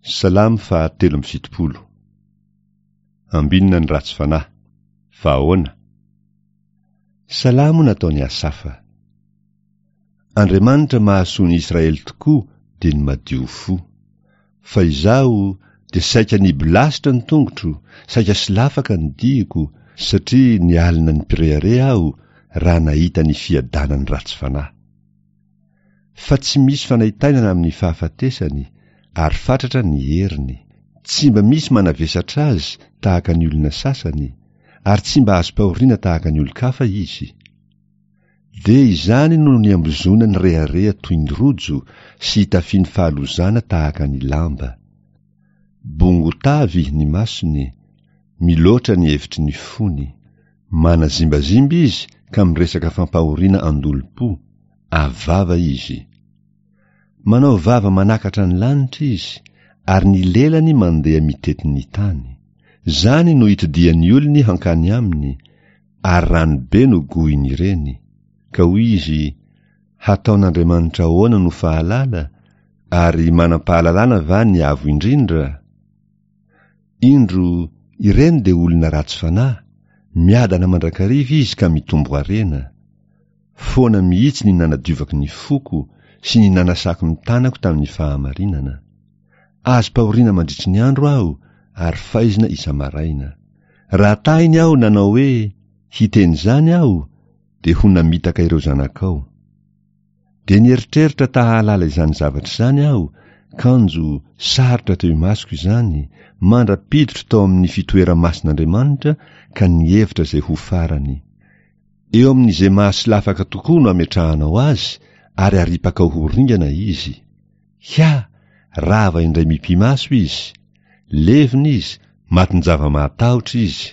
Salamo faha 73. Ambinina ny ratsy fanahy. Fa ahoana? Salamo nataon'i Asafa. Andriamanitra mahasoa ny Israely tokoa dia ny madio fo. Fa izaho dia saika nibolasitra ny tongotro, saika solafaka ny diako, satria nialona ny mpirehareha aho raha nahita ny fiadanan'ny ratsy fanahy. Fa tsy misy fanaintainana amin'ny fahafatesany, ary fatratra ny heriny. Tsy mba misy manavesatra azy tahaka ny olona sasany, ary tsy mba azom-pahoriana tahaka ny olon-kafa izy. Dia izany no niambozonany rehareha toy ny rojo sy itafiany fahalozana tahaka ny lamba. Bongo tavy ny masony, miloatra ny hevitry ny fony. Manazimbazimba izy ka miresaka fampahoriana an-dolompo, avy vava izy. Manao vava manakatra ny lanitra izy, ary ny lelany mandeha mitety ny tany. Izany no itodihan'ny olony hankany aminy, ary rano be no gohin'ireny. Ka hoy izy, Hataon'Andriamanitra ahoana no fahalala, ary manam-pahalalana va ny Avo Indrindra? Indro, ireny dia olona ratsy fanahy, miadana mandrakariva izy ka mitombo harena. Foana mihitsy ny nanadiovako ny foko sy ny nanasako ny tanako tamin'ny fahamarinana. Azom-pahoriana mandritry ny andro aho ary faizina isa-maraina. Raha tahiny aho nanao hoe, Hiteny izany aho, dia ho namitaka ireo zanakao. Dia nieritreritra ta hahalala izany zavatra izany aho, kanjo sarotra teo imasoko izany, mandra-piditro tao amin'ny fitoera-masin'Andriamanitra ka nihevitra izay ho farany. Eo amin'izay mahasolafaka tokoa no ametrahanao azy ary aripakao ho ringana izy. Hia! Rava indray mipi-maso izy. Levona izy, matin-java-mahatahotra izy.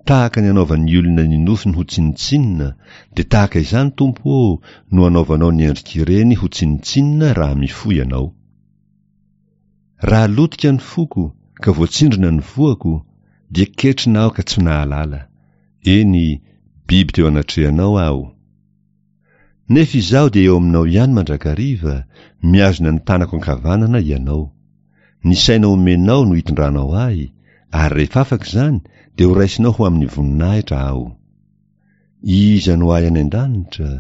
Tahaka ny anaovan'ny olona ny nofiny ho tsinontsinona, dia tahaka izany, Tompo ô, no anaovanao ny endrik'ireny ho tsinontsinona raha mifoha ianao. Raha lotika ny foko, ka voatsindrona ny voako, dia ketrina aho ka tsy nahalala. Eny, biby teo anatrehanao aho. Nefa izaho dia eo aminao ihany mandrakariva, mihazona ny tanako ankavanana ianao. Ny saina omenao no itondranao ahy, ary rehefa afaka izany dia horaisinao ho amin'ny voninahitra aho. Iza no ahy any an-danitra,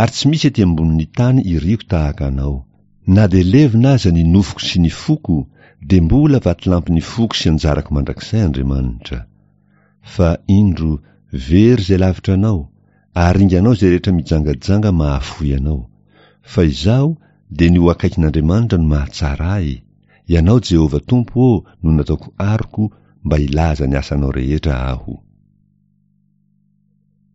ary tsy misy ety ambonin'ny tany iriko tahaka anao. Na dia levona aza ny nofoko sy ny foko, dia mbola vatolampin'ny foko sy anjarako mandrakizay Andriamanitra. Fa, indro, very izay lavitra anao, ary ringanao izay rehetra mijangajanga mahafoy anao. Fa izaho, dia ny ho akaikin'Andriamanitra no mahatsara ahy, Ianao Jehovah Tompo ô no nataoko aroko mba hilaza ny asanao rehetra aho.